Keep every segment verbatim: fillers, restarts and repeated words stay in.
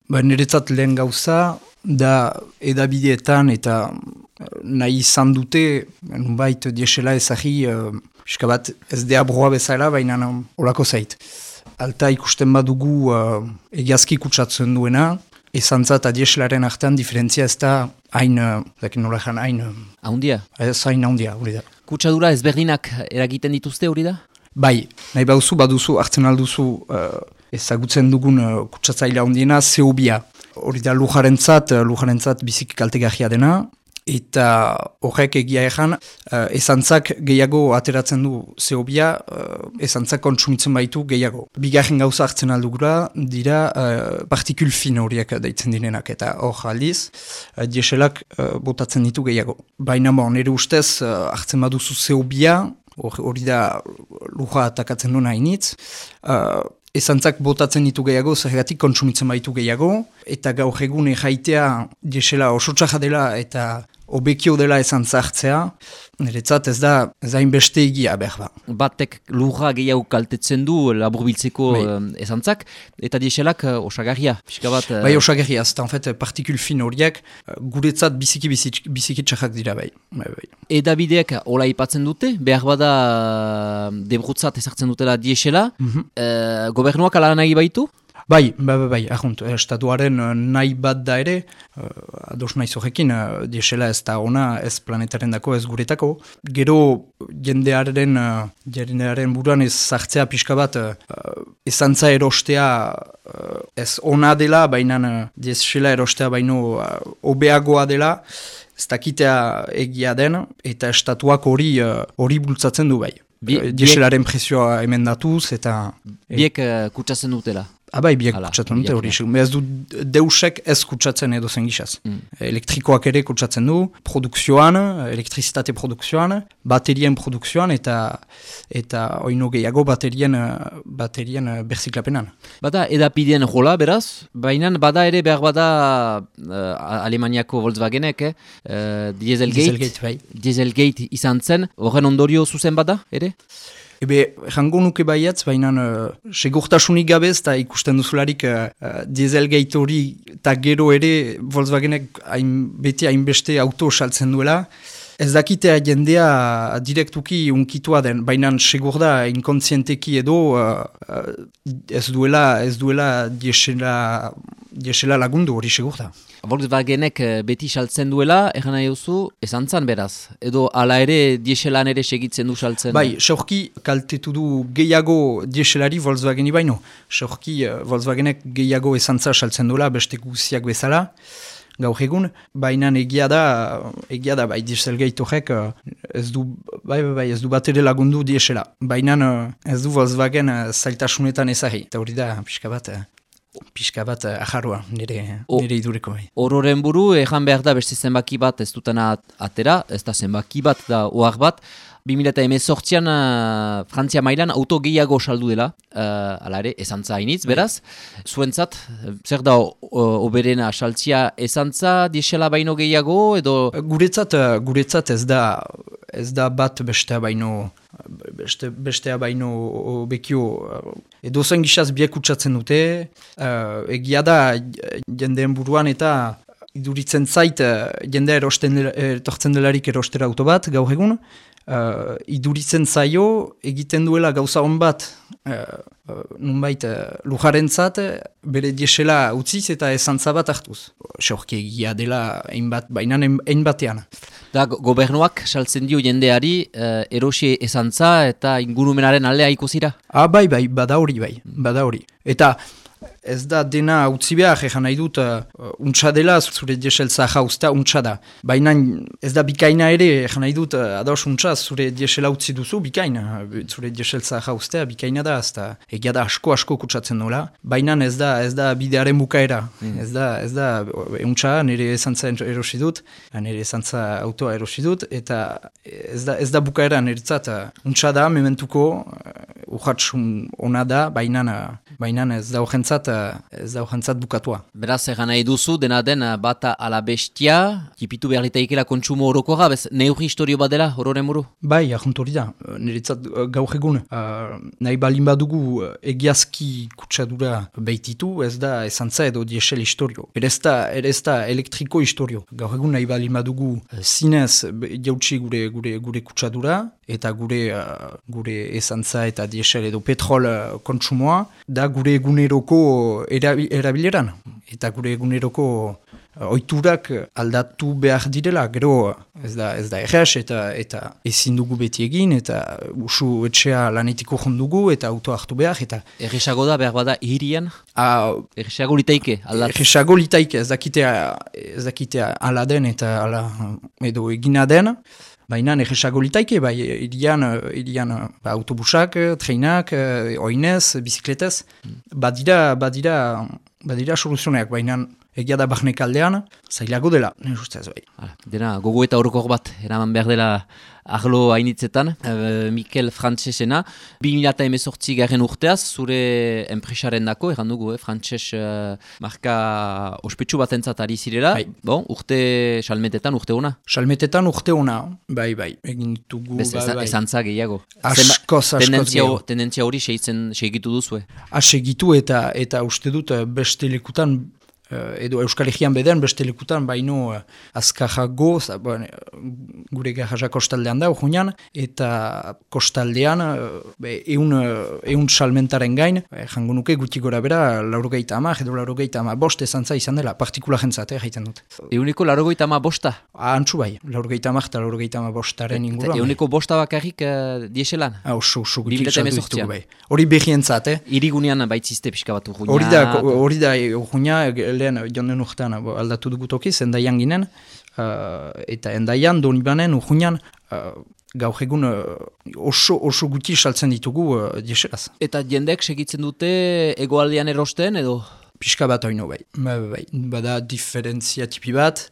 Ba, niretzat lehen gauza, da edabideetan eta nahi izan dute, nunbait diesela ezagi, uh, pixka bat ez dea broa bezala, baina olako zait. Alta ikusten badugu uh, egiazki kutsatzen duena, ezantza eta dieselaren artean diferentzia ez da hain, uh, nola jan, hain... Haundia? Ez hain haundia, hori da. Kutsadura ezberdinak eragiten dituzte hori da? Bai, nahi baduzu, baduzu, hartzen alduzu uh, ezagutzen dugun uh, kutsatzaila handiena, zeobia. Hori da lujarentzat, lujarentzat bizik kaltegarria dena, eta horrek egia egan, uh, ezantzak gehiago ateratzen du zeobia, uh, ezantzak kontsumitzen baitu gehiago. Bigarren gauza hartzen aldugura, dira uh, partikul fin horiek deitzen direnak, eta hor aldiz, uh, dieselak uh, botatzen ditu gehiago. Baina bon, nire ustez, uh, hartzen baduzu zeobia, hori da luja atakatzen duna hainitz, uh, ezantzak botatzen ditu gehiago, zergatik kontsumitzen baitu gehiago, eta gaur egun jaitea diesela oso txaja dela eta obekio dela ezantza hartzea, niretzat ez da ez da inbeste egia behar ba. Batek lurra gehiago kaltetzen du laburbiltzeko bai. ezantzak, eta dieselak uh, osagarria. Bat, uh... Bai osagarria, ez da en fait partikul fin horiek guretzat biziki biziki, biziki txajak dira bai. bai, bai. Edabideek hola ipatzen dute, behar bada debrutzat ezartzen dutela diesela, mm-hmm. uh, gobernuak ala nahi baitu? Bai, bai, bai, bai, ahunt, estatuaren nahi bat da ere, uh, ados nahi zorekin, uh, diesela ez da ona, ez planetaren dako, ez guretako. Gero jendearen, uh, jendearen buruan ez zartzea pixka bat, uh, ezantza erostea uh, ez ona dela, baina uh, diesela erostea baino uh, obeagoa dela, ez dakitea egia den, eta estatuak hori uh, hori bultzatzen du bai. Bie, dieselaren prezioa emendatuz, eta... Biek uh, kutsatzen dutela. Abai, biek kutsatzen dute hori. Ez du deusek ez kutsatzen edo zen gizaz. Mm. Elektrikoak ere kutsatzen du, produkzioan, elektrizitate produkzioan, baterien produkzioan eta eta oino gehiago baterien, baterien berziklapenan. Bada edapideen jola, beraz, baina bada ere behar bada uh, Alemaniako Volkswagenek, eh? uh, Dieselgate, Dieselgate, bai. Dieselgate izan zen, horren ondorio zuzen bada, ere? Ebe, jango nuke baiatz, baina uh, segurtasunik gabez, eta ikusten duzularik uh, uh, Dieselgate hori eta gero ere Volkswagenek hain, beti hainbeste auto saltzen duela. Ez dakitea jendea direktuki unkitua den, baina segur da inkontzienteki edo uh, uh, ez duela, ez duela diesela, diesela lagundu hori segur da. Volkswagenek beti saltzen duela, egan nahi duzu, ezantzan beraz. Edo ala ere dieselan ere segitzen du saltzen. Bai, seurki kaltetu du gehiago dieselari Volkswageni baino. Seurki uh, Volkswagenek gehiago ezantza saltzen duela, beste guziak bezala. Gaur egun, baina egia da, egia da, bai, Dieselgate horrek ez du, bai, bai, bai, ez du bat ere lagundu diesela. Baina ez du Volkswagen zailtasunetan ezari. Eta hori da, pixka bat, pixka bat ajarroa, nire, nire idureko. Bai. Ororen buru, ejan behar da beste zenbaki bat ez dutena atera, ez da zenbaki bat da ohar bat, bi mila hemezortzian uh, Frantzia mailan auto gehiago saldu dela, uh, ala ere, ezantza hainitz, beraz. Zuentzat, zer da oberena saltzia ezantza, diesela baino gehiago, edo... Guretzat, guretzat ez da, ez da bat bestea baino, beste, bestea baino bekio, edo zen gizaz biek utxatzen dute, uh, egia da jendeen buruan eta iduritzen zait jendea erosten, etortzen delarik erostera auto bat, gaur egun, Uh, iduritzen zaio, egiten duela gauza hon bat, uh, uh, nunbait uh, lujarentzat, bere diesela utziz eta ezantza bat hartuz. Seurki egia dela ein bat, baina ein batean. Da, gobernuak saltzen dio jendeari uh, erosi ezantza eta ingurumenaren aldea ikusira? Ah, bai, bai, bada hori, bai, bada hori. Eta ez da dena utzi behar, egan nahi dut, uh, untsa dela, zure dieseltza jauzta, untsa da. Baina ez da bikaina ere, egan nahi dut, uh, ados untsa, zure diesela utzi duzu, bikaina. Zure dieseltza jauztea, bikaina da, ez da, egia da asko-asko kutsatzen nola. Baina ez da, ez da bidearen bukaera. Mm. Ez da, ez da, untsa, nire esantza erosi dut, nire esantza autoa erosi dut, eta ez da, ez da bukaera niretzat. Untsa da, mementuko, uh, urratsun ona da, baina, baina ez da horren horrentzat, ez da horrentzat bukatua. Beraz, egan nahi duzu, dena den bata ala bestia, tipitu behar litaikela kontsumo orokoa, bez neurri historio bat dela, hororen muru? Bai, ahont hori da, niretzat gaur egun, uh, nahi balin badugu egiazki kutsadura behititu, ez da esantza edo diesel historio. Ere ez da, ere ez da elektriko historio. Gaur egun nahi balin badugu zinez jautsi gure, gure, gure kutsadura, eta gure, uh, gure esantza eta diesel edo petrol uh, kontsumoa, da gure eguneroko erabileran. Eta gure eguneroko uh, oiturak aldatu behar direla, gero ez da, ez da erres eta, eta ezin dugu beti egin, eta usu etxea lanetiko jondugu, eta auto hartu behar, eta... Erresago da, behar bada, hirian? Uh, Erresago litaike, aldat? Erresago litaike, ez dakitea, ez dakitea ala den eta ala edo egina den, baina erresago litaike, bai, irian, irian ba, autobusak, treinak, oinez, bizikletez, badira, badira, badira soluzioneak, baina egia da barnek aldean, zailago dela, nire ustez bai. Dena, gogo eta horokor bat, eraman behar dela arlo hainitzetan, e, Mikel Frantzesena, bi mila hemezortzi garen urteaz, zure enpresaren dako, erran dugu, eh, Frantses uh, marka ospetsu bat entzat ari zirela, bai. Bon, urte salmetetan, urte ona? Salmetetan urte ona, bai, bai, egin ditugu, Bez, bai, bai. Ezantza gehiago. Askoz, askoz gehiago. Tendentzia hori segitu duzue? Segitu eta, eta uste dut beste lekutan, Uh, edo Euskal Herrian beden beste lekutan, baino uh, azkarrago, bon, gure garraja kostaldean da, urgunean, eta kostaldean, uh, eun, uh, eun salmentaren gain, jango nuke guti gora bera, laurogeita ama, edo laurogeita ama bost ezantza izan dela, partikula jentzat, eh, jaiten dut. Euneko laurogeita ama bosta? Antzu bai, laurogeita ama eta laurogeita ama bostaren inguruan. Euneko bosta bakarrik uh, dieselan? Ah, oso, oso, guti saldu ditugu bai. Hori behientzat, eh? Irigunean baitzizte pixka bat urgunean? Hori da, hori da, urgunean, lehen jonden urtean aldatu dugu tokiz, endaian ginen, uh, eta endaian, donibanen, urgunean, uh, gaur egun uh, oso, oso guti saltzen ditugu uh, dieselaz. Eta jendek segitzen dute egoaldean erosten edo? Pixka bat oino bai. Ba, bai. Bada diferentzia tipi bat,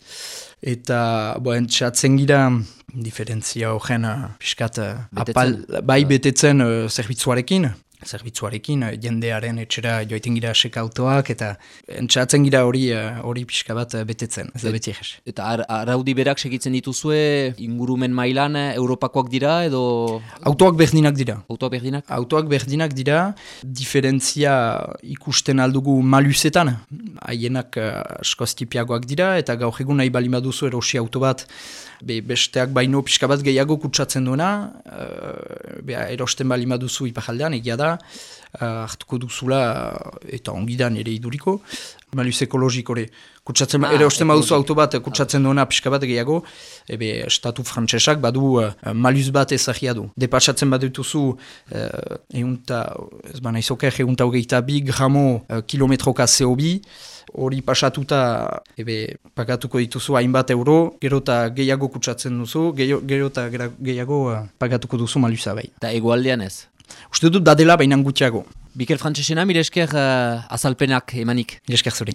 eta boen txatzen gira diferentzia horren uh, pixkat uh, apal, bai betetzen uh, zerbitzuarekin, zerbitzuarekin, jendearen etxera joaiten gira sekautoak, eta entxatzen gira hori hori pixka bat betetzen, ez da beti egez. Eta ar araudi berak segitzen dituzue ingurumen mailan Europakoak dira, edo... Autoak berdinak dira. Autoak berdinak? Autoak berdinak dira, diferentzia ikusten aldugu maluzetan, haienak askoz tipiagoak dira, eta gaur egun nahi bali baduzu erosi auto bat, be, besteak baino pixka bat gehiago kutsatzen duena, uh, be, erosten bali baduzu ipajaldean, egia da, Uh, hartuko duzula uh, eta ongidan ere iduriko, maluz ekologik hori. Kutsatzen, ah, ere osten baduzu auto bat kutsatzen duena pixka bat gehiago, ebe estatu frantsesak badu uh, maluz bat ezagia du. Depatsatzen badutuzu uh, eunta, ez ba nahizoker, eunta hogeita bi gramo uh, kilometroka C O bi, hori pasatuta ebe pagatuko dituzu hainbat euro, gero eta gehiago kutsatzen duzu, gero eta gehiago uh, pagatuko duzu maluza bai. Eta egoaldean ez? Uste dut dadela bainan gutxiago. Mikel Frantzesena, mire esker uh, azalpenak emanik. Mire esker zuri.